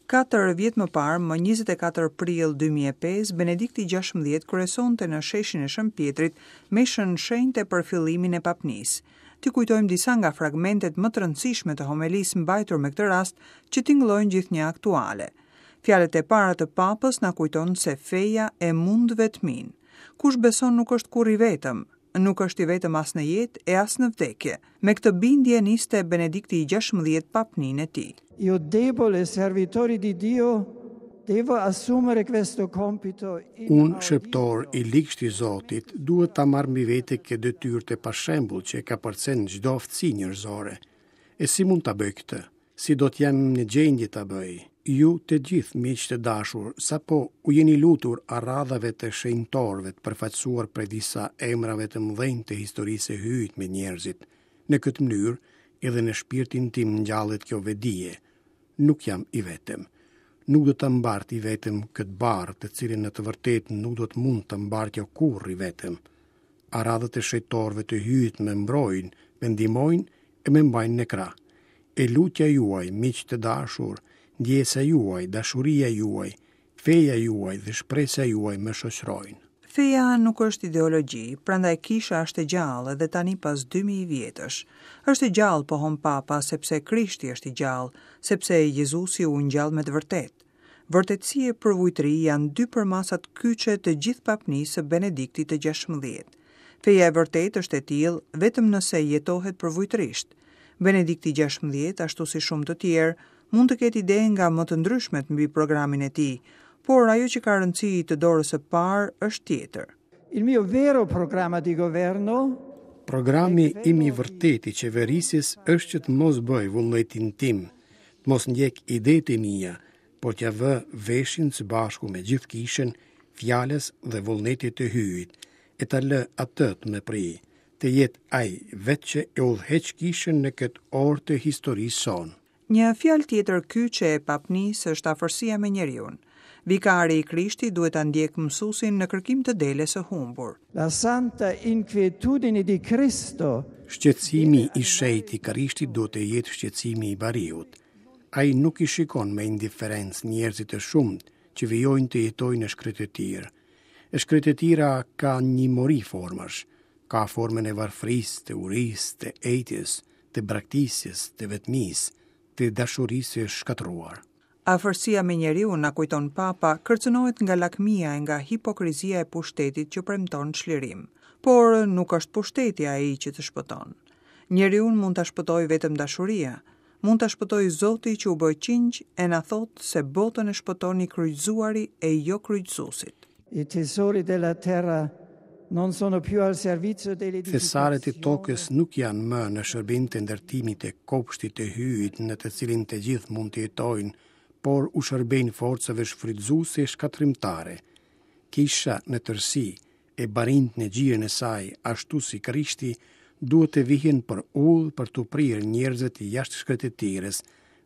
Katër vjet më parë, më 24 prill 2005, Benedikti XVI kryesonte në sheshin e Shën Pjetrit meshën shenjte për fillimin e papnisë. T'i kujtojmë disa nga fragmentet më të rëndësishme të homelisë mbajtur me këtë rast që tingëllojnë gjithnjë aktuale. Fjalët e para të Papës na kujton se feja e mund vetminë. Kush beson nuk është kurrë i vetëm, nuk është i vetëm as në jetë e as në vdekje. Me këtë bindje niste Benedikti i XVI papninë e tij. Io debole servitore di Dio devo assumere questo compito Unë, shërbëtor i ligshtë i Zotit, duhet ta marr mbi vete këtë detyrë të pashembullt që e kapërcen çdo aftësi njerëzore. E si mund ta bëj këtë? Si do të jem në gjendje ta bëj? Ju të gjithë, miq të dashur, sapo u jeni lutur aradhave të shenjtorëve të përfaqësuar prej disa emrave të mëdhenj të historisë së Hyjit me njerëzit. Në këtë mënyrë, edhe në shpirtin tim ngjallet kjo vetëdije. Nuk jam i vetëm. Nuk do ta mbart i vetëm këtë barrë, të cilën në të vërtetë nuk do të mund ta mbartja kurrë i vetëm. Aradhët e shenjtorëve të Hyjit më mbrojnë, më ndihmojnë e më mbajnë në krah. E lutja juaj, miq të dashur, ndjesa juaj, dashuria juaj, feja juaj dhe shpresa juaj më shoqërojnë. Feja nuk është ideologji, prandaj kisha është e gjallë edhe tani pas 2000 vjetësh. Është e gjallë, pohon Papa, sepse Krishti është i gjallë, sepse Jezusi u ngjall me të vërtetë. Vërtetësi e përvujtëri janë dy përmasat kyçe të gjithë papnisë së Benediktit të XVI. Feja e vërtetë është e tillë vetëm nëse jetohet përvujtërisht. Benedikti XVI, ashtu si shumë të tjerë, mund të ketë ide nga më të ndryshmet mbi programin e tij, por ajo që ka rëndësi të dorës së parë është tjetër. Il mio vero programma di governo Programi im i vërtetë i qeverisjes është që të mos bëj vullnetin tim, të mos ndjek idetë e mia, por t'ia vë veshin së bashku me gjithë kishën, fjalës dhe vullnetit të Hyjit, e ta lë atë të më prijë, të jetë ai vetë që e udhëheq kishën në këtë orë të historisë sonë. Një fjalë tjetër kyçe e papnisë është afërsia me njeriun. Vikari i Krishtit duhet ta ndjekë mësuesin në kërkim të deles së humbur. La santa inquietudine di Cristo. Shqetësimi i shenjtë i Krishtit duhet të jetë shqetësimi i bariut. Ai nuk i shikon me indiferencë njerëzit e shumtë që vijojnë të jetojnë në shkretëtirë. E shkretëtira ka një mori formash. Ka formën e varfërisë, të urisë, të etjes, të braktisjes, të vetmisë, të dashurisë së shkatërruar. Afërsia me njeriun, na kujton Papa, kërcënohet nga lakmia e nga hipokrizia e pushtetit që premton çlirim. Por nuk është pushteti ai që të shpëton. Njeriun mund ta shpëtojë vetëm dashuria, mund ta shpëtojë Zoti që u bë qingj e na thotë se botën e shpëton i kryqëzuari e jo kryqëzuesit. I tesori della terra non sono più al servizio Thesaret e tokës nuk janë më në shërbim të ndërtimit të kopshtit të Hyjit në të cilin të gjithë mund të jetojnë, por u shërbejnë forcave shfrytëzuese e shkatërrimtare. Kisha në tërësi, e barinjtë në gjirin e saj, ashtu si Krishti, duhet të vihen për udhë për t'u prirë njerëzit jashtë shkretëtirës,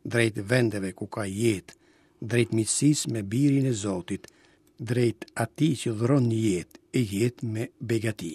drejt vendeve ku ka jetë, drejt miqësisë me Birin e Zotit, drejt atij që dhuron jetë e jetë me begati.